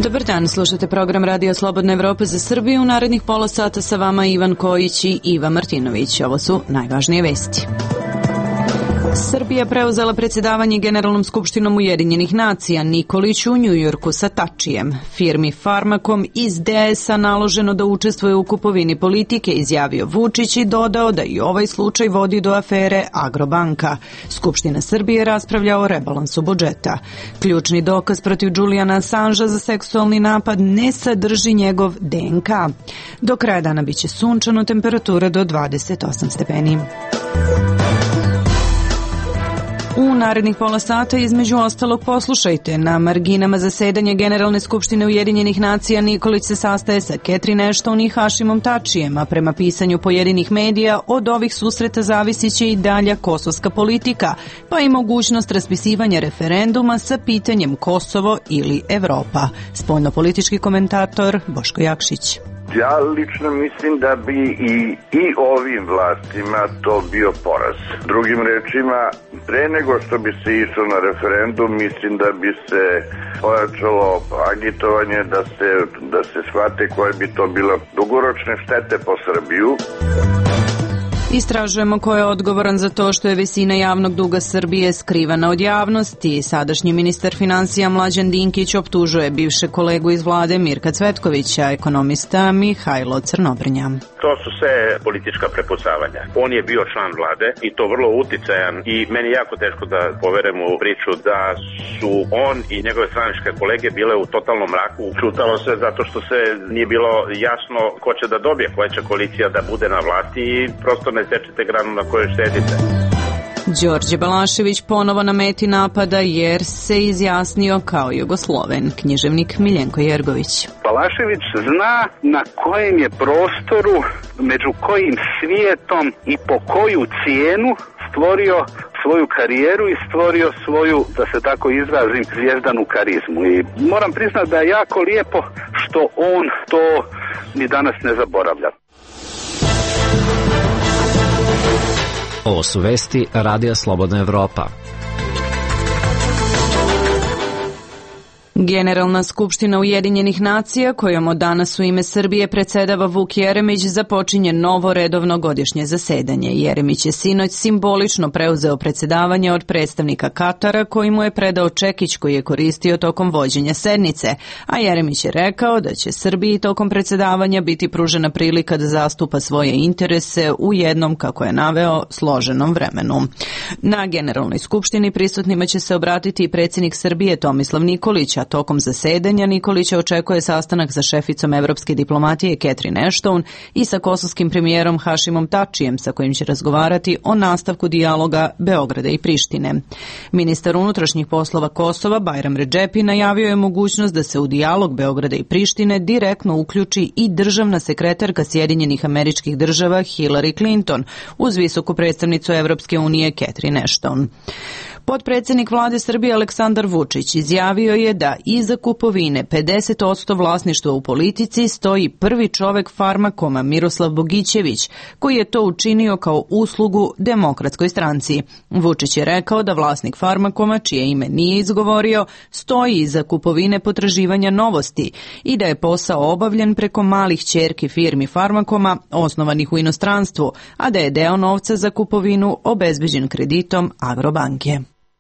Dobar dan, slušate program Radio Slobodna Evropa za Srbiju. U narednih pola sata sa vama Ivan Kojić i Iva Martinović. Ovo su najvažnije vesti. Srbija preuzela predsjedavanje Generalnom skupštinom Ujedinjenih nacija, Nikolić u Njujorku sa Tačijem. Firmi Farmakom iz DS-a naloženo da učestvuje u kupovini politike, izjavio Vučić i dodao da i ovaj slučaj vodi do afere Agrobanka. Skupština Srbije raspravlja o rebalansu budžeta. Ključni dokaz protiv Julijana Assangea za seksualni napad ne sadrži njegov DNK. Do kraja dana biće sunčano, temperatura do 28 stepeni. U narednih pola sata između ostalog poslušajte. Na marginama zasedanja Generalne skupštine Ujedinjenih nacija Nikolić se sastaje sa Catherine Ashton i Hašimom Tačijem, a prema pisanju pojedinih medija od ovih susreta zavisiće i dalja kosovska politika, pa i mogućnost raspisivanja referenduma sa pitanjem Kosovo ili Evropa. Spoljnopolitički komentator Boško Jakšić. Ja lično mislim da bi i ovim vlastima to bio poraz. Drugim rečima, pre nego što bi se išlo na referendum, mislim da bi se pojačalo agitovanje da se shvate koje bi to bilo dugoročne štete po Srbiju. Istražujemo ko je odgovoran za to što je visina javnog duga Srbije skrivana od javnosti. Sadašnji ministar finansija Mlađan Dinkić optužuje bivše kolegu iz vlade Mirka Cvetkovića, ekonomista Mihajlo Crnobrnja. To su sve politička prepucavanja. On je bio član vlade i to vrlo uticajan i meni je jako teško da poverem u priču da su on i njegove stranačke kolege bile u totalnom mraku. Čutalo se zato što se nije bilo jasno ko će da dobije, koja će koalicija da bude na vlasti i prosto ne sečete granu na kojoj štedite. Đorđe Balašević ponovo na meti napada jer se izjasnio kao Jugosloven. Književnik Miljenko Jergović. Balašević zna na kojem je prostoru, među kojim svijetom i po koju cijenu stvorio svoju karijeru i stvorio svoju, da se tako izrazim, zvijezdanu karizmu. I moram priznati da je jako lijepo što on to ni danas ne zaboravlja. Ovo su vesti Radija Slobodna Evropa. Generalna skupština Ujedinjenih nacija, kojom od danas u ime Srbije predsjedava Vuk Jeremić, započinje novo redovno godišnje zasedanje. Jeremić je sinoć simbolično preuzeo predsjedavanje od predstavnika Katara, koji mu je predao čekić koji je koristio tokom vođenja sednice, a Jeremić je rekao da će Srbiji tokom predsjedavanja biti pružena prilika da zastupa svoje interese u jednom, kako je naveo, složenom vremenu. Na Generalnoj skupštini prisutnima će se obratiti i predsjednik Srbije Tomislav Nikolić, a tokom zasedanja Nikolića očekuje sastanak sa šeficom evropske diplomatije Catherine Ashton i sa kosovskim premijerom Hašimom Tačijem, sa kojim će razgovarati o nastavku dijaloga Beograda i Prištine. Ministar unutrašnjih poslova Kosova Bajram Redžepi najavio je mogućnost da se u dijalog Beograda i Prištine direktno uključi i državna sekretarka Sjedinjenih Američkih Država Hillary Clinton uz visoku predstavnicu Evropske unije Catherine Ashton. Potpredsjednik vlade Srbije Aleksandar Vučić izjavio je da iza kupovine 50% vlasništva u politici stoji prvi čovek Farmakoma Miroslav Bogićević, koji je to učinio kao uslugu Demokratskoj stranci. Vučić je rekao da vlasnik Farmakoma, čije ime nije izgovorio, stoji iza kupovine potraživanja Novosti i da je posao obavljen preko malih ćerki firmi Farmakoma osnovanih u inostranstvu, a da je deo novca za kupovinu obezbeđen kreditom Agrobanke.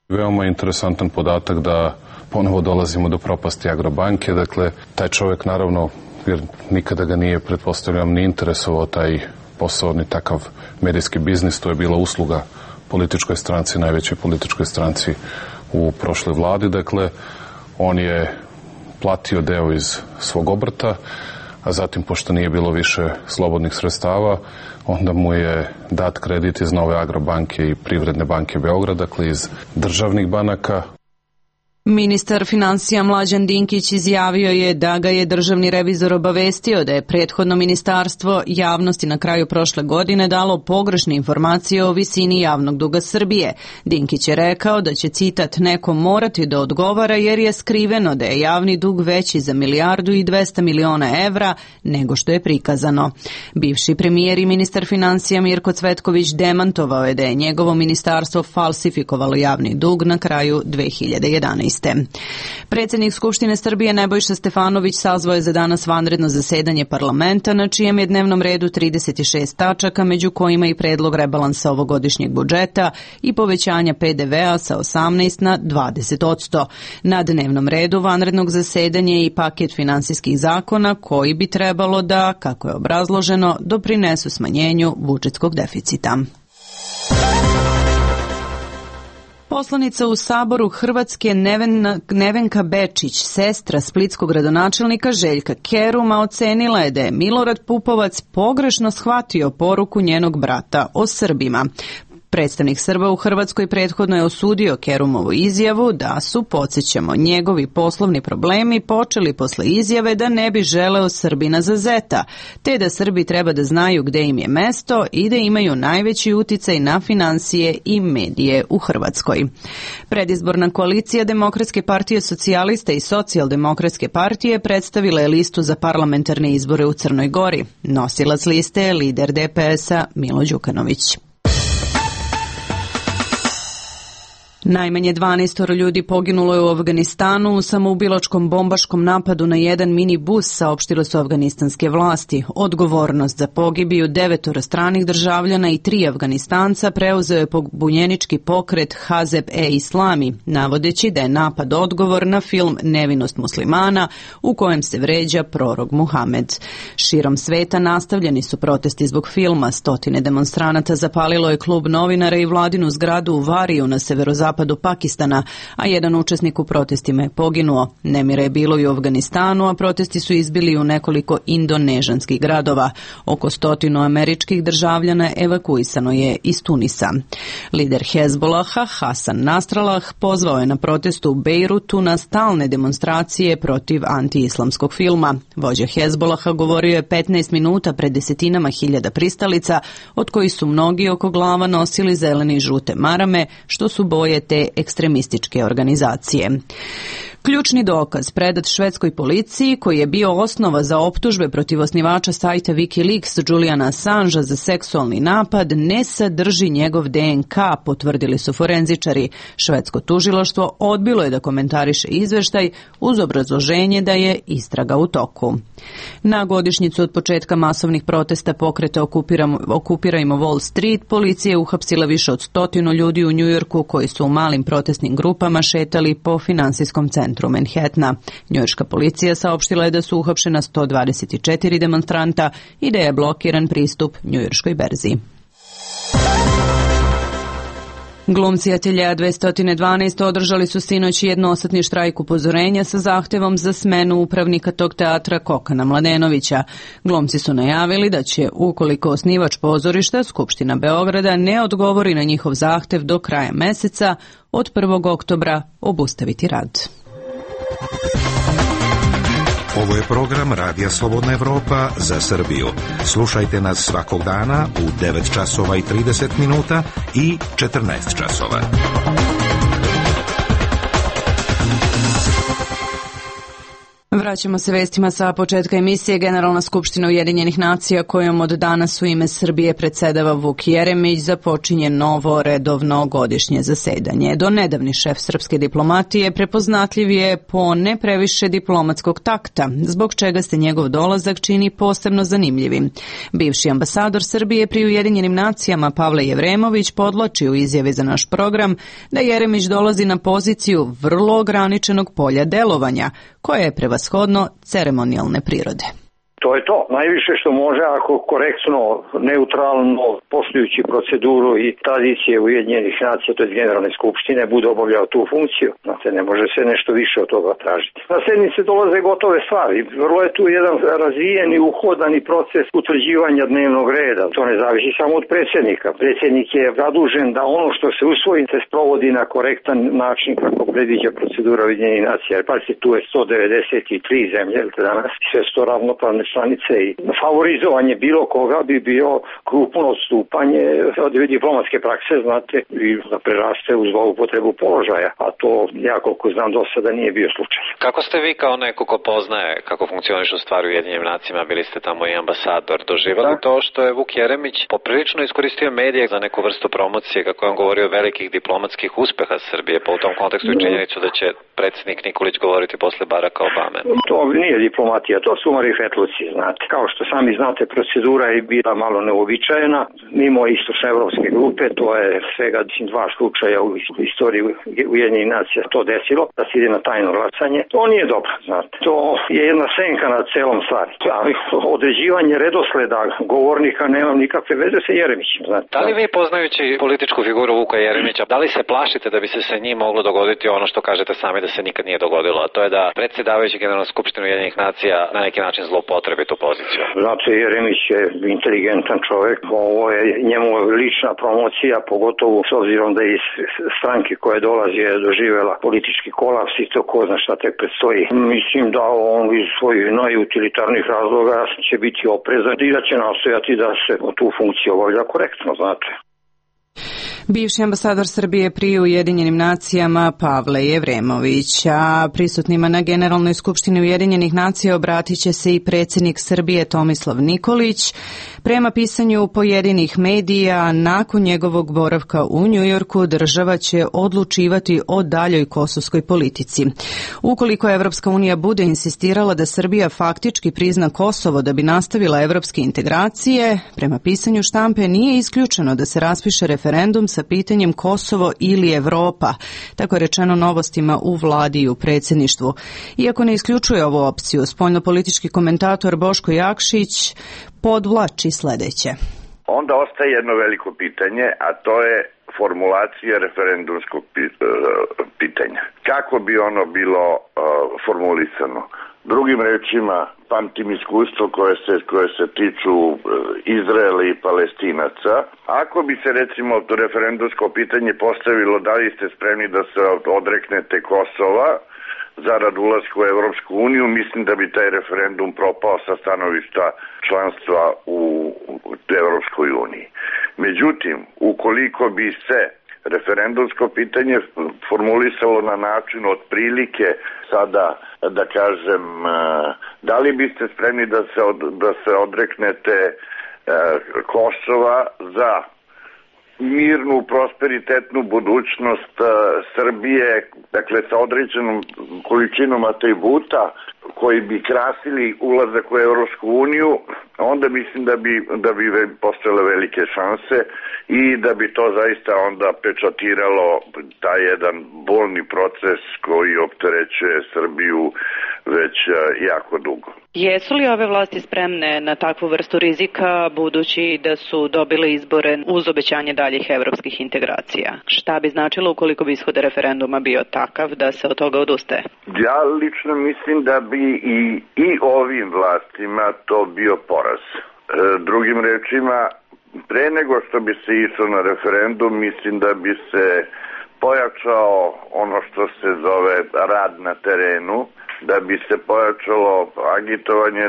Veoma interesantan podatak da ponovo dolazimo do propasti Agrobanke. Dakle, taj čovjek naravno, jer nikada ga nije, pretpostavljam, ni interesovao taj posao, ni takav medijski biznis. To je bila usluga političkoj stranci, najvećoj političkoj stranci u prošloj vladi. Dakle, on je platio deo iz svog obrta, a zatim, pošto nije bilo više slobodnih sredstava, onda mu je dat kredit iz Nove Agrobanke i Privredne banke Beograd, dakle iz državnih banaka. Ministar finansija Mlađan Dinkić izjavio je da ga je državni revizor obavestio da je prethodno ministarstvo javnosti na kraju prošle godine dalo pogrešne informacije o visini javnog duga Srbije. Dinkić je rekao da će, citat, neko morati da odgovara jer je skriveno da je javni dug veći za 1.200 miliona evra nego što je prikazano. Bivši premijer i ministar finansija Mirko Cvetković demantovao je da je njegovo ministarstvo falsifikovalo javni dug na kraju 2011. 2014. Predsjednik Skupštine Srbije Nebojša Stefanović sazvao je za danas vanredno zasedanje parlamenta, na čijem je dnevnom redu 36 tačaka, među kojima i predlog rebalansa ovogodišnjeg budžeta i povećanja PDV-a sa 18 na 20%. Na dnevnom redu vanrednog zasedanja je i paket finansijskih zakona koji bi trebalo da, kako je obrazloženo, doprinesu smanjenju budžetskog deficita. Poslanica u Saboru Hrvatske Nevenka Bečić, sestra splitskog gradonačelnika Željka Keruma, ocenila je da je Milorad Pupovac pogrešno shvatio poruku njenog brata o Srbima. Predstavnik Srba u Hrvatskoj prethodno je osudio Kerumovu izjavu da su, podsjećamo, njegovi poslovni problemi počeli posle izjave da ne bi želeo Srbina za zeta, te da Srbi treba da znaju gde im je mesto i da imaju najveći uticaj na finansije i medije u Hrvatskoj. Predizborna koalicija Demokratske partije socijalista i Socijaldemokratske partije predstavila je listu za parlamentarne izbore u Crnoj Gori. Nosilac liste je lider DPS-a Milo Đukanović. Najmanje 12 ljudi poginulo je u Afganistanu u samoubilačkom bombaškom napadu na jedan minibus, saopštile su afganistanske vlasti. Odgovornost za pogibiju 9 stranih državljana i 3 Afganistanca preuzeo je pobunjenički pokret Hazeb-e-Islami, navodeći da je napad odgovor na film Nevinost muslimana u kojem se vređa prorok Muhamed. Širom sveta nastavljeni su protesti zbog filma. Stotine demonstranata zapalilo je klub novinara i vladinu zgradu u Variju na severozapadu Pakistana, a jedan učesnik u protestima je poginuo. Nemira je bilo i u Afganistanu, a protesti su izbili u nekoliko indonežanskih gradova. Oko 100 američkih državljana evakuisano je iz Tunisa. Lider Hezbolaha, Hasan Nasrallah, pozvao je na protestu u Bejrutu na stalne demonstracije protiv antiislamskog filma. Vođa Hezbolaha govorio je 15 minuta pred desetinama hiljada pristalica, od kojih su mnogi oko glava nosili zelene i žute marame, što su boje te ekstremističke organizacije. Ključni dokaz predat švedskoj policiji, koji je bio osnova za optužbe protiv osnivača sajta Wikileaks Juliana Assangea za seksualni napad, ne sadrži njegov DNK, potvrdili su forenzičari. Švedsko tužilaštvo odbilo je da komentariše izveštaj uz obrazloženje da je istraga u toku. Na godišnjicu od početka masovnih protesta pokreta Okupirajmo Wall Street, policija je uhapsila više od 100 ljudi u Njujorku koji su u malim protestnim grupama šetali po finansijskom centru Manhattana. Njujorška policija saopštila je da su uhapšena 124 demonstranta i da je blokiran pristup Njujorškoj berzi. Glumci Ateljea 212 održali su sinoć jednosatni štrajk upozorenja sa zahtevom za smenu upravnika tog teatra Kokana Mladenovića. Glumci su najavili da će, ukoliko osnivač pozorišta, Skupština Beograda, ne odgovori na njihov zahtev do kraja meseca, od 1. oktobra obustaviti rad. Ovo je program Radija Slobodna Evropa za Srbiju. Slušajte nas svakog dana u 9 časova i 30 minuta i 14 časova. Vraćamo se vestima sa početka emisije. Generalna skupština Ujedinjenih nacija, kojom od danas u ime Srbije predsedava Vuk Jeremić, započinje novo redovno godišnje zasedanje. Do nedavni šef srpske diplomatije prepoznatljiv je po ne previše diplomatskog takta, zbog čega se njegov dolazak čini posebno zanimljivim. Bivši ambasador Srbije pri Ujedinjenim nacijama Pavle Jevremović podvlači u izjavi za naš program da Jeremić dolazi na poziciju vrlo ograničenog polja delovanja, koje je prevashodno ceremonijalne prirode. To je to. Najviše što može, ako korektno, neutralno, poštujući proceduru i tradicije Ujedinjenih nacija, to je Generalne skupštine, bude obavljao tu funkciju. Znate, ne može se nešto više od toga tražiti. Na sednice dolaze gotove stvari. Vrlo je tu jedan razvijen i uhodani proces utvrđivanja dnevnog reda. To ne zavisi samo od predsjednika. Predsjednik je zadužen da ono što se usvoji se sprovodi na korektan način kako predviđa procedura Ujedinjenih nacija. Jer pazite, tu je 193 zemlje danas, sve su to ravnopravne članice i favorizovanje bilo koga bi bio krupno odstupanje od diplomatske prakse, znate, i da preraste u zloupotrebu položaja, a to ja koliko znam do sada nije bio slučaj. Kako ste vi kao neko ko poznaje kako funkcionišu stvari u Ujedinjenim nacijama, bili ste tamo i ambasador, doživali to što je Vuk Jeremić poprilično iskoristio medije za neku vrstu promocije, kako je on govorio o velikih diplomatskih uspeha Srbije, pa u tom kontekstu i činjenicu da će predsjednik Nikolić govoriti posle Baracka Obame? To nije diplomatija, to su marifetluci, znate. Kao što sami znate, procedura je bila malo neobičajena. Mimo istočnoevropske grupe, to je svega 2 slučaja u istoriji Ujedinjenih nacija to desilo, da se ide na tajno glasanje. To nije dobro, znate. To je jedna senka na celom stvari. Ali određivanje redosleda govornika nema nikakve veze sa Jeremićem, znate. Da li vi, poznajući političku figuru Vuka Jeremića, da li se plašite da bi se sa njim moglo dogoditi ono što kažete sami da se nikad nije dogodilo, a to je da predsjedavajući Generalnu skupštinu Ujedinjenih nacija na neki način zloupotrebi tu poziciju? Znate, Jeremić je inteligentan čovjek, ovo je njemu lična promocija, pogotovo s obzirom da iz stranke koje dolazi je doživjela politički kolaps i to ko zna šta tek predstoji. Mislim da on iz svojih najutilitarnih razloga će biti oprezan i da će nastojati da se tu funkciju obavlja korektno, znate. Bivši ambasador Srbije pri Ujedinjenim nacijama Pavle Jevremović, a prisutnima na Generalnoj skupštini Ujedinjenih nacija obratit će se i predsjednik Srbije Tomislav Nikolić. Prema pisanju pojedinih medija, nakon njegovog boravka u Njujorku, država će odlučivati o daljoj kosovskoj politici. Ukoliko Evropska unija bude insistirala da Srbija faktički prizna Kosovo da bi nastavila evropske integracije, prema pisanju štampe nije isključeno da se raspiše referendum sa pitanjem Kosovo ili Evropa, tako je rečeno Novostima u vladi i u predsjedništvu. Iako ne isključuje ovu opciju, spoljnopolitički komentator Boško Jakšić podvlači sledeće. Onda ostaje jedno veliko pitanje, a to je formulacija referendumskog pitanja. Kako bi ono bilo formulisano? Drugim rečima, pamtim iskustvo koje se tiču Izraela i Palestinaca. Ako bi se recimo referendumsko pitanje postavilo da li ste spremni da se odreknete Kosova zarad ulaska u Evropsku uniju, mislim da bi taj referendum propao sa stanovišta članstva u Evropskoj uniji. Međutim, ukoliko bi se referendumsko pitanje formulisalo na način otprilike sada, da kažem, da li biste spremni da se odreknete Kosova za mirnu, prosperitetnu budućnost Srbije, dakle sa određenom količinom atributa koji bi krasili ulazak u Evropsku uniju, onda mislim da bi postojale velike šanse i da bi to zaista onda pečatiralo taj jedan bolni proces koji opterećuje Srbiju već jako dugo. Jesu li ove vlasti spremne na takvu vrstu rizika, budući da su dobile izbore uz obećanje daljih evropskih integracija? Šta bi značilo ukoliko bi ishod referenduma bio takav da se od toga odustaje? Ja lično mislim da bi i ovim vlastima to bio poraz. Drugim rečima, pre nego što bi se išlo na referendum, mislim da bi se pojačao ono što se zove rad na terenu, da bi se pojačalo agitovanje,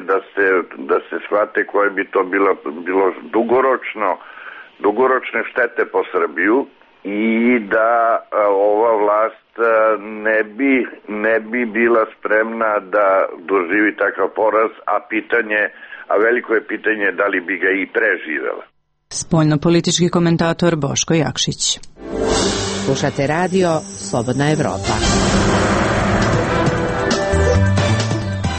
da se shvate koje bi to bilo dugoročne štete po Srbiju i da ova vlast ne bi bila spremna da doživi takav poraz, a veliko je pitanje da li bi ga i preživela. Spoljnopolitički komentator Boško Jakšić. Slušate radio Slobodna Evropa.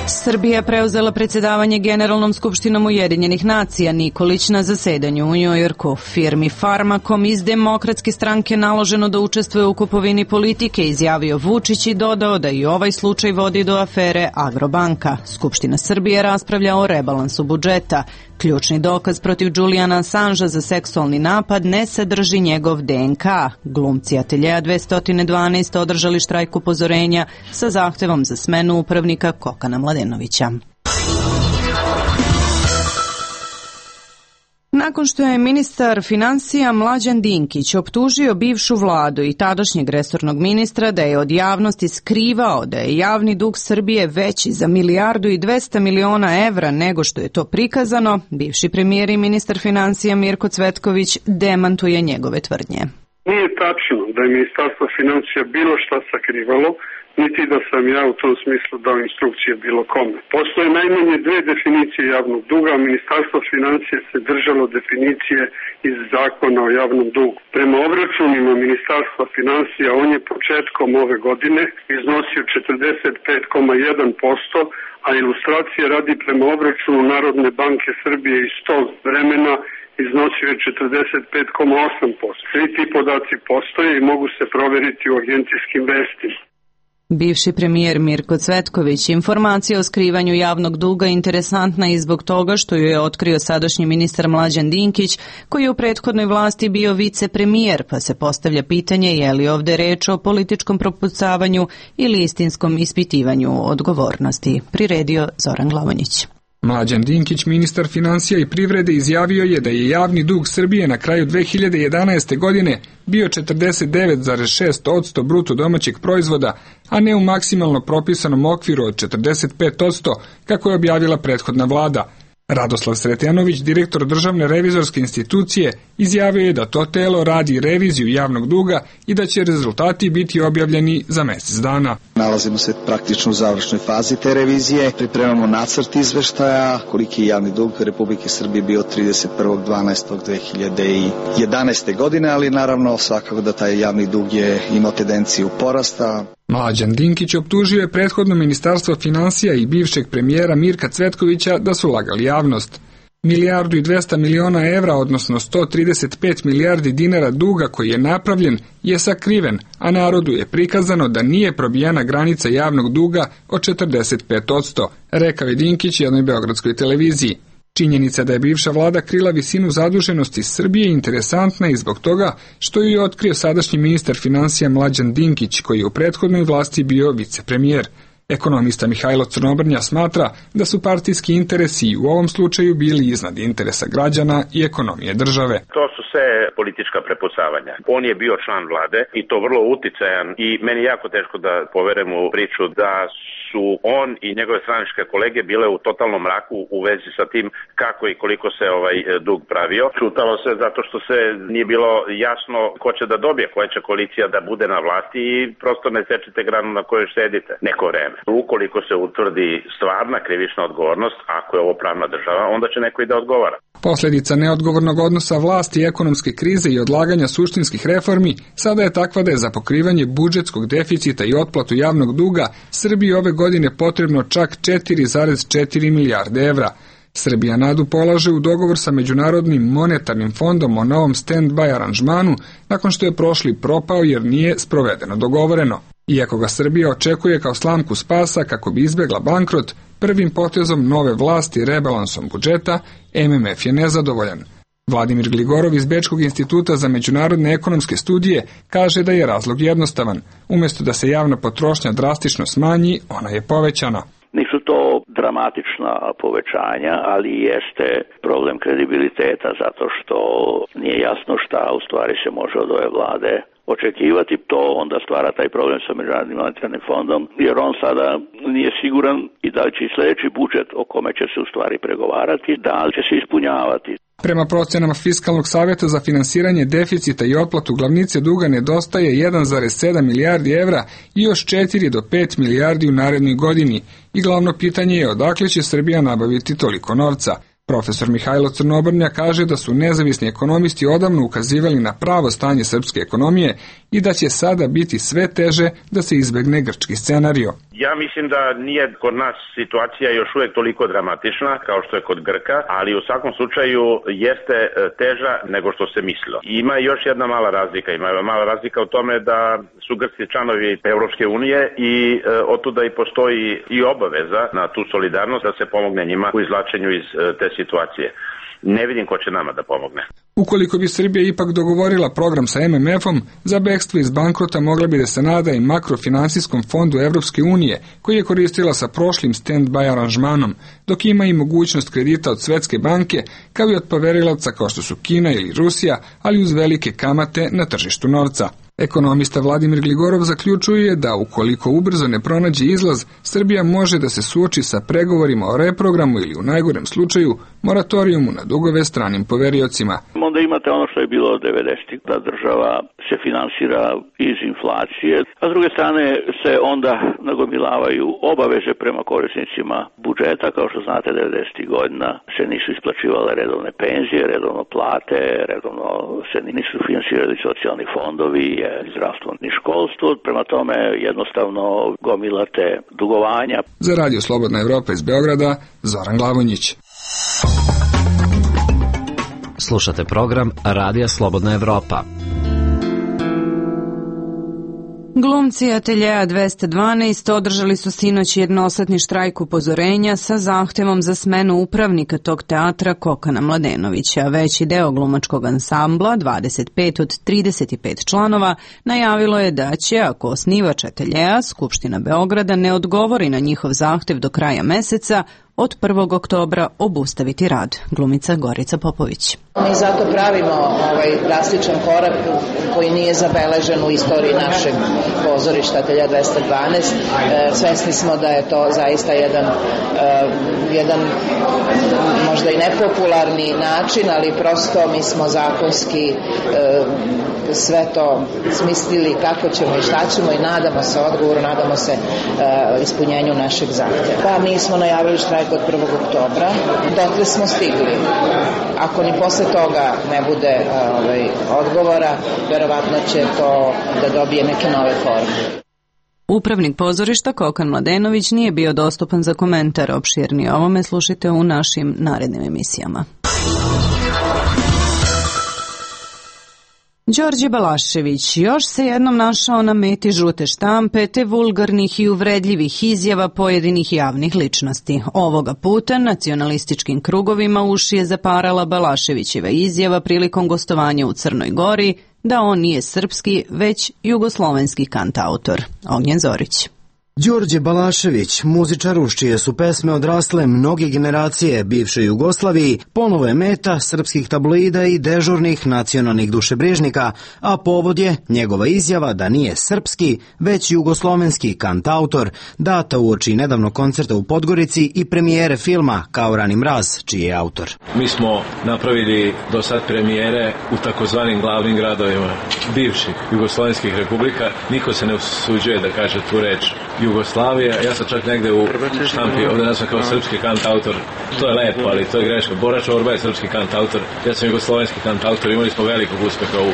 Srbija preuzela predsjedavanje Generalnom skupštinom Ujedinjenih nacija. Nikolić na zasedanju u Njujorku. Firmi Farmakom iz Demokratske stranke naloženo da učestvuje u kupovini politike, izjavio Vučić i dodao da i ovaj slučaj vodi do afere Agrobanka. Skupština Srbije raspravlja o rebalansu budžeta. Ključni dokaz protiv Julijana Assangea za seksualni napad ne sadrži njegov DNK. Glumci Ateljea 212 održali štrajk upozorenja sa zahtevom za smenu upravnika Kokana Mladenovića. Nakon što je ministar financija Mlađan Dinkić optužio bivšu vladu i tadašnjeg resornog ministra da je od javnosti skrivao da je javni dug Srbije veći za 1,2 milijarde evra nego što je to prikazano, bivši premijer i ministar financija Mirko Cvetković demantuje njegove tvrdnje. Nije tačno da je Ministarstvo financija bilo šta sakrivalo, niti da sam ja u tom smislu dao instrukcije bilo kome. Postoje najmanje dve definicije javnog duga, a Ministarstvo financije se držalo definicije iz zakona o javnom dugu. Prema obračunima Ministarstva financija on je početkom ove godine iznosio 45,1%, a ilustracije radi prema obračunu Narodne banke Srbije iz tog vremena iznosio je 45,8%. Svi ti podaci postoje i mogu se proveriti u agencijskim vestima. Bivši premijer Mirko Cvetković, informacija o skrivanju javnog duga interesantna i zbog toga što ju je otkrio sadašnji ministar Mlađan Dinkić, koji je u prethodnoj vlasti bio vicepremijer, pa se postavlja pitanje je li ovde reč o političkom propucavanju ili istinskom ispitivanju odgovornosti. Priredio Zoran Glavonjić. Mlađan Dinkić, ministar financija i privrede, izjavio je da je javni dug Srbije na kraju 2011. godine bio 49,6% bruto domaćeg proizvoda, a ne u maksimalno propisanom okviru od 45%, kako je objavila prethodna vlada. Radoslav Sretenović, direktor Državne revizorske institucije, izjavio je da to telo radi reviziju javnog duga i da će rezultati biti objavljeni za mjesec dana. Nalazimo se praktično u završnoj fazi te revizije, pripremamo nacrt izveštaja koliki je javni dug Republike Srbije bio 31.12.2011. godine, ali naravno svakako da taj javni dug je imao tendenciju porasta. Mlađan Dinkić optužio je prethodno Ministarstvo financija i bivšeg premijera Mirka Cvetkovića da su lagali javnost. 1,2 milijarde evra, odnosno 135 milijardi dinara duga koji je napravljen, je sakriven, a narodu je prikazano da nije probijena granica javnog duga od 45%, rekao je Dinkić jednoj beogradskoj televiziji. Činjenica da je bivša vlada krila visinu zaduženosti Srbije interesantna i zbog toga što ju je otkrio sadašnji ministar financija Mlađan Dinkić, koji je u prethodnoj vlasti bio vicepremijer. Ekonomista Mihajlo Crnobrnja smatra da su partijski interesi u ovom slučaju bili iznad interesa građana i ekonomije države. To su sve politička prepucavanja. On je bio član vlade i to vrlo uticajan i meni je jako teško da poverujem u priču da su on i njegove stranačke kolege bile u totalnom mraku u vezi sa tim kako i koliko se dug pravio. Čutalo se zato što se nije bilo jasno ko će da dobije, koja će koalicija da bude na vlasti i prosto ne sečite granu na kojoj sedite neko vreme. Ukoliko se utvrdi stvarna krivična odgovornost, ako je ovo pravna država, onda će neko i da odgovara. Posljedica neodgovornog odnosa vlasti i ekonomske krize i odlaganja suštinskih reformi sada je takva da je za pokrivanje budžetskog deficita i otplatu javnog duga Srbiji ove godine potrebno čak 4,4 milijarde evra. Srbija nadu polaže u dogovor sa Međunarodnim monetarnim fondom o novom stand-by aranžmanu nakon što je prošli propao jer nije sprovedeno dogovoreno. Iako ga Srbija očekuje kao slamku spasa kako bi izbjegla bankrot, prvim potezom nove vlasti rebalansom budžeta, MMF je nezadovoljan. Vladimir Gligorov iz Bečkog instituta za međunarodne ekonomske studije kaže da je razlog jednostavan. Umjesto da se javna potrošnja drastično smanji, ona je povećana. Nisu to dramatična povećanja, ali jeste problem kredibiliteta zato što nije jasno šta u stvari se može od ove vlade očekivati. To onda stvara taj problem sa Međunarodnim monetarnim fondom, jer on sada nije siguran i da li će sljedeći budžet o kome će se u stvari pregovarati, da li će se ispunjavati. Prema procenama Fiskalnog savjeta za finansiranje deficita i otplatu glavnice duga nedostaje 1,7 milijardi evra i još 4 do 5 milijardi u narednoj godini i glavno pitanje je odakle će Srbija nabaviti toliko novca. Profesor Mihajlo Crnobrnja kaže da su nezavisni ekonomisti odavno ukazivali na pravo stanje srpske ekonomije i da će sada biti sve teže da se izbegne grčki scenario. Ja mislim da nije kod nas situacija još uvijek toliko dramatična kao što je kod Grka, ali u svakom slučaju jeste teža nego što se mislilo. Ima još jedna mala razlika. Ima mala razlika u tome da su Grci članovi Evropske unije i otuda i postoji i obaveza na tu solidarnost da se pomogne njima u izvlačenju iz te situacije. Ne vidim ko će nama da pomogne. Ukoliko bi Srbija ipak dogovorila program sa MMF-om, za bekstvo iz bankrota mogla bi da se nada i makrofinansijskom fondu Evropske unije, koji je koristila sa prošlim stand-by aranžmanom, dok ima i mogućnost kredita od Svetske banke, kao i od poverilaca kao što su Kina ili Rusija, ali uz velike kamate na tržištu novca. Ekonomista Vladimir Gligorov zaključuje da ukoliko ubrzo ne pronađe izlaz, Srbija može da se suoči sa pregovorima o reprogramu ili u najgorem slučaju moratorijumu na dugove stranim poveriocima. Onda imate ono što je bilo od 90-ih, da država se finansira iz inflacije, a s druge strane se onda nagomilavaju obaveze prema korisnicima budžeta. Kao što znate, 90-ih godina se nisu isplaćivale redovne penzije, redovno plate, redovno se nisu finansirali socijalni fondovi, zdravstvo ni školstvo, prema tome jednostavno gomilate dugovanja. Za Radio Slobodna Evropa iz Beograda, Zoran Glavonjić. Slušate program Radija Slobodna Evropa. Glumci Ateljea 212 održali su sinoć jednosatni štrajk upozorenja sa zahtevom za smenu upravnika tog teatra Kokana Mladenovića. Veći deo glumačkog ansambla, 25 od 35 članova, najavilo je da će, ako osnivač Ateljea, Skupština Beograda, ne odgovori na njihov zahtev do kraja meseca, od 1. oktobra obustaviti rad. Glumica Gorica Popović. Mi zato pravimo drastičan korak koji nije zabeležen u istoriji našeg pozorišta Ateljea 212. Svesni smo da je to zaista jedan možda i nepopularni način, ali prosto mi smo zakonski sve to smislili kako ćemo i šta ćemo i nadamo se odgovoru, nadamo se ispunjenju našeg zahtjeva. Pa mi smo najavili štrajk od 1. oktobra, dotle smo stigli. Ako ni posle toga ne bude odgovora, verovatno će to da dobije neke nove forme. Upravnik pozorišta Kokan Mladenović nije bio dostupan za komentar. Opširnije o ovome slušajte u našim narednim emisijama. Đorđe Balašević još se jednom našao na meti žute štampe te vulgarnih i uvredljivih izjava pojedinih javnih ličnosti. Ovoga puta nacionalističkim krugovima uši je zaparala Balaševićeva izjava prilikom gostovanja u Crnoj Gori da on nije srpski, već jugoslovenski kantautor. Ognjen Zorić. Đorđe Balašević, muzičar uz čije su pesme odrasle mnoge generacije bivše Jugoslaviji, ponovo je meta srpskih tabloida i dežurnih nacionalnih dušebrižnika, a povod je njegova izjava da nije srpski, već jugoslovenski kantautor, data uoči nedavnog koncerta u Podgorici i premijere filma Kao rani mraz, čiji je autor. Mi smo napravili do sad premijere u takozvanim glavnim gradovima bivših jugoslovenskih republika. Niko se ne usuđuje da kaže tu reč Jugoslavija. Ja sam čak negde u štampi ovdje nazvan kao srpski kantautor. To je lepo, ali to je greška. Bora Čorba je srpski kantautor, ja sam jugoslovenski kantautor. Imali smo velikog uspeha u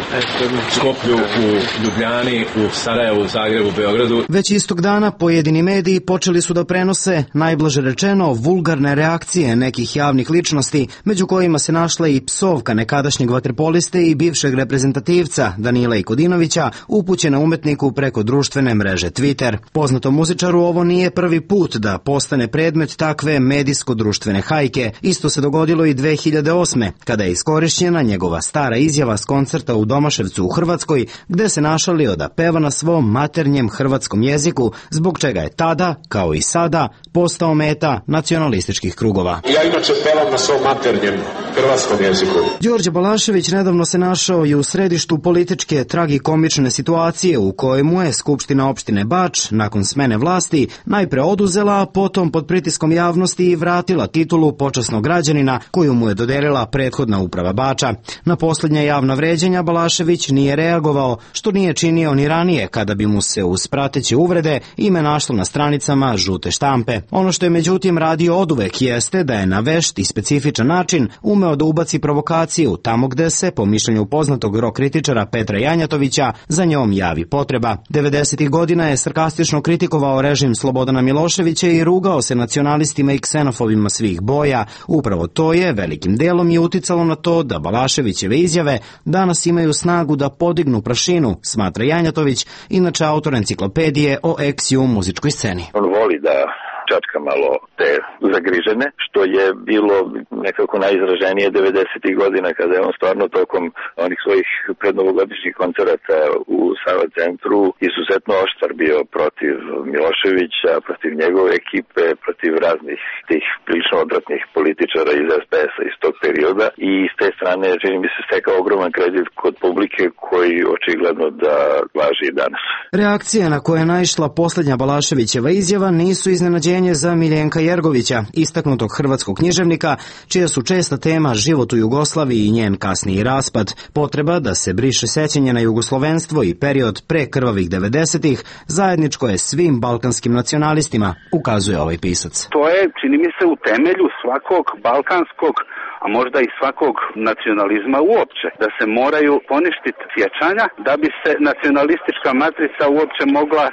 Skoplju, u Ljubljani, u Sarajevu, u Zagrebu, u Beogradu. Već istog dana pojedini mediji počeli su da prenose, najblaže rečeno, vulgarne reakcije nekih javnih ličnosti, među kojima se našla i psovka nekadašnjeg vaterpoliste i bivšeg reprezentativca Danila Ikodinovića, upućena umetniku preko društvene mreže Twitter. Poznatom muzičaru ovo nije prvi put da postane predmet takve medijsko-društvene hajke. Isto se dogodilo i 2008. kada je iskorišćena njegova stara izjava s koncerta u Domaševcu u Hrvatskoj, gde se našalio da peva na svom maternjem hrvatskom jeziku, zbog čega je tada, kao i sada, postao meta nacionalističkih krugova. Ja inače pevam na svom maternjem hrvatskom jeziku. Đorđe Balašević nedavno se našao i u središtu političke tragikomične situacije u kojemu je Skupština opštine Bač, nakon smene vlasti, najpre oduzela, a potom pod pritiskom javnosti i vratila titulu počasnog građanina koju mu je dodelila prethodna uprava Bača. Na posljednja javna vređenja Balašević nije reagovao, što nije činio ni ranije kada bi mu se uz prateće uvrede ime našlo na stranicama žute štampe. Ono što je međutim radio oduvek jeste da je na vešt i specifičan način umeo da ubaci provokaciju tamo gde se, po mišljenju poznatog rock kritičara Petra Janjatovića, za njom javi potreba. 90. godina je sarkastično kritikovao režim Slobodana Miloševića i rugao se nacionalistima i ksenofobima svih boja. Upravo to je velikim delom i uticalo na to da Balaševićeve izjave danas imaju snagu da podignu prašinu, smatra Janjatović, inače autor enciklopedije o ex-ju muzičkoj sceni. On voli da čačka malo te zagrižene, što je bilo nekako najizraženije 90. godina kada je on stvarno tokom onih svojih prednovogodišnjih koncerata u Sava centru izuzetno oštar bio protiv Miloševića, protiv njegove ekipe, protiv raznih tih prilično odvratnih političara iz SPS-a iz tog perioda i s te strane čini mi se stekao ogroman kredit kod publike koji očigledno da važi i danas. Reakcije na koje je naišla poslednja Balaševićeva izjava nisu iznenađenje za Miljenka Jergovića, istaknutog hrvatskog književnika, čija su česta tema život u Jugoslaviji i njen kasniji raspad, potreba da se briše sećanje na jugoslovenstvo i period pre krvavih 90-ih, zajedničko je svim balkanskim nacionalistima, ukazuje ovaj pisac. To je, čini mi se, u temelju svakog balkanskog, a možda i svakog nacionalizma uopće, da se moraju poništiti sjećanja da bi se nacionalistička matrica uopće mogla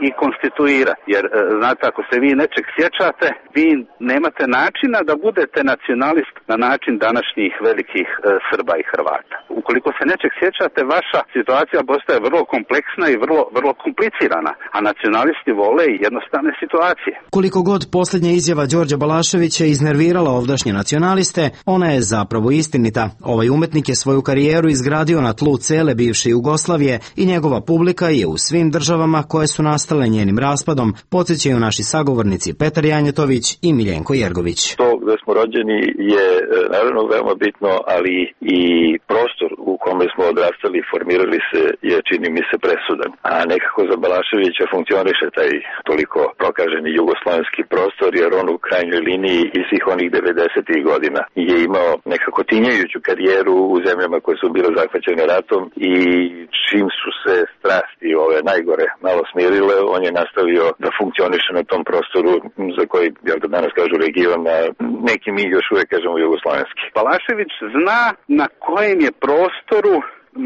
i konstituirati. Jer, znate, ako se vi nečeg sjećate, vi nemate načina da budete nacionalist na način današnjih velikih Srba i Hrvata. Ukoliko se nečeg sjećate, vaša situacija postaje vrlo kompleksna i vrlo komplicirana, a nacionalisti vole i jednostavne situacije. Koliko god posljednja izjava Đorđa Balaševića iznervirala ovdašnje nacionaliste, ona je zapravo istinita. Ovaj umetnik je svoju karijeru izgradio na tlu cele bivše Jugoslavije i njegova publika je u svim državama koje su nastale njenim raspadom, podsjećaju naši sagovornici Petar Janjetović i Miljenko Jergović. To gde smo rođeni je naravno veoma bitno, ali i prostor u kome smo odrastali i formirali se je, čini mi se, presudan. A nekako za Balaševića funkcioniše taj toliko prokaženi jugoslovenski prostor, jer on u krajnjoj liniji i svih onih 90. godina je imao nekako tinjajuću karijeru u zemljama koje su bile zahvaćene ratom i čim su se strasti ove najgore malo smirile, on je nastavio da funkcioniše na tom prostoru za koji, ja da danas kažu, region, a neki mi još uvijek kažemo jugoslovenski. Balašević zna na kojem je prostoru,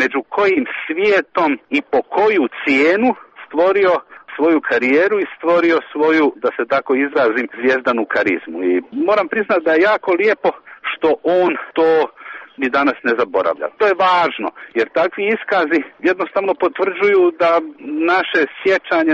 među kojim svijetom i po koju cijenu stvorio svoju karijeru i stvorio svoju, da se tako izrazim, zvijezdanu karizmu. I moram priznati da je jako lijepo što on to ni danas ne zaboravlja. To je važno, jer takvi iskazi jednostavno potvrđuju da naše sjećanje,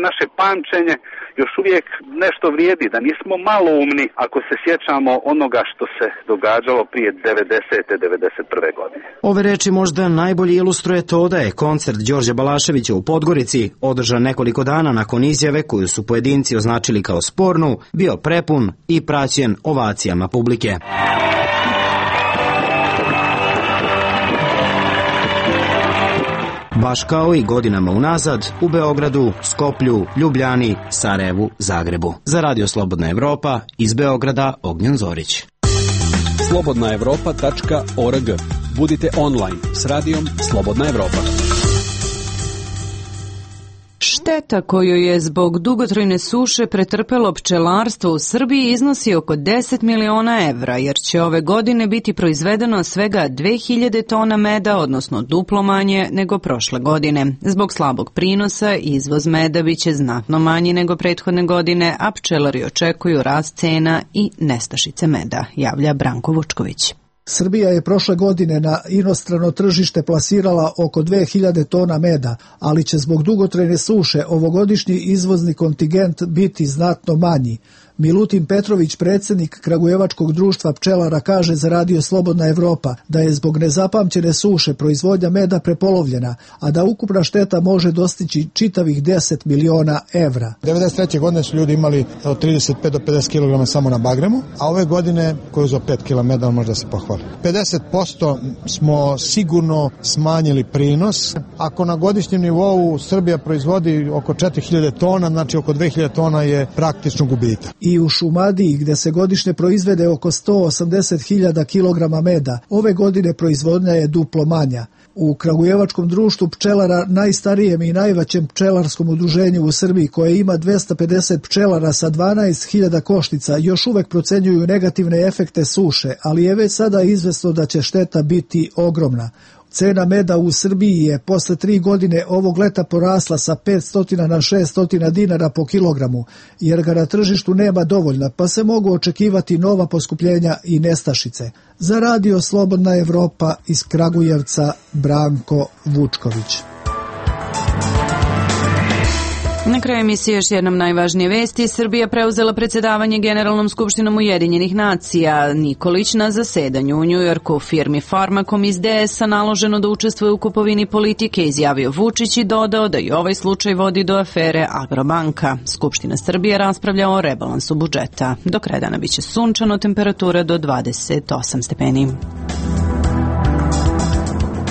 naše pamćenje još uvijek nešto vrijedi, da nismo maloumni ako se sjećamo onoga što se događalo prije 90-91. godine. Ove reči možda najbolje ilustruje to da je koncert Đorđa Balaševića u Podgorici, održan nekoliko dana nakon izjave koju su pojedinci označili kao spornu, bio prepun i praćen ovacijama publike. Baš kao i godinama unazad u Beogradu, Skoplju, Ljubljani, Sarajevu, Zagrebu. Za Radio Slobodna Evropa, iz Beograda, Ognjen Zorić. slobodnaevropa.org. Budite online s radijom Slobodna Evropa. Šteta koju je zbog dugotrajne suše pretrpelo pčelarstvo u Srbiji iznosi oko 10 miliona evra, jer će ove godine biti proizvedeno svega 2000 tona meda, odnosno duplo manje nego prošle godine. Zbog slabog prinosa, izvoz meda biće znatno manji nego prethodne godine, a pčelari očekuju rast cena i nestašice meda, javlja Branko Vučković. Srbija je prošle godine na inostrano tržište plasirala oko 2000 tona meda, ali će zbog dugotrajne suše ovogodišnji izvozni kontingent biti znatno manji. Milutin Petrović, predsjednik Kragujevačkog društva pčelara, kaže za Radio Slobodna Evropa da je zbog nezapamćene suše proizvodnja meda prepolovljena, a da ukupna šteta može dostići čitavih 10 miliona evra. 1993. godine su ljudi imali od 35 do 50 kg samo na bagremu, a ove godine koju za 5 kg meda može da se pohvali. 50% smo sigurno smanjili prinos. Ako na godišnjem nivou Srbija proizvodi oko 4000 tona, znači oko 2000 tona je praktično gubitak. I u Šumadiji, gde se godišnje proizvede oko 180.000 kg meda, ove godine proizvodnja je duplo manja. U Kragujevačkom društvu pčelara, najstarijem i najvećem pčelarskom udruženju u Srbiji, koje ima 250 pčelara sa 12.000 koštica, još uvek procenjuju negativne efekte suše, ali je već sada izvesno da će šteta biti ogromna. Cena meda u Srbiji je posle 3 godine ovog leta porasla sa 500 na 600 dinara po kilogramu, jer ga na tržištu nema dovoljno, pa se mogu očekivati nova poskupljenja i nestašice. Za Radio Slobodna Evropa iz Kragujevca, Branko Vučković. Na kraju emisije još jednom najvažnije vesti. Srbija preuzela predsjedavanje Generalnom skupštinom Ujedinjenih nacija. Nikolić na zasedanju u Njujorku. Firmi Farmakom iz DS-a naloženo da učestvuje u kupovini politike, izjavio Vučić i dodao da i ovaj slučaj vodi do afere Agrobanka. Skupština Srbije raspravlja o rebalansu budžeta. Do kraja dana biće sunčano, temperatura do 28 stepeni.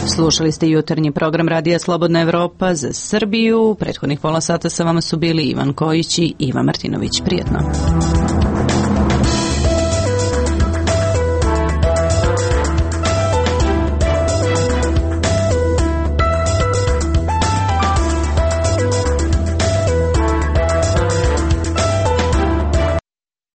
Slušali ste jutarnji program Radija Slobodna Evropa za Srbiju. Prethodnih pola sata sa vama su bili Ivan Kojić i Iva Martinović. Prijetno.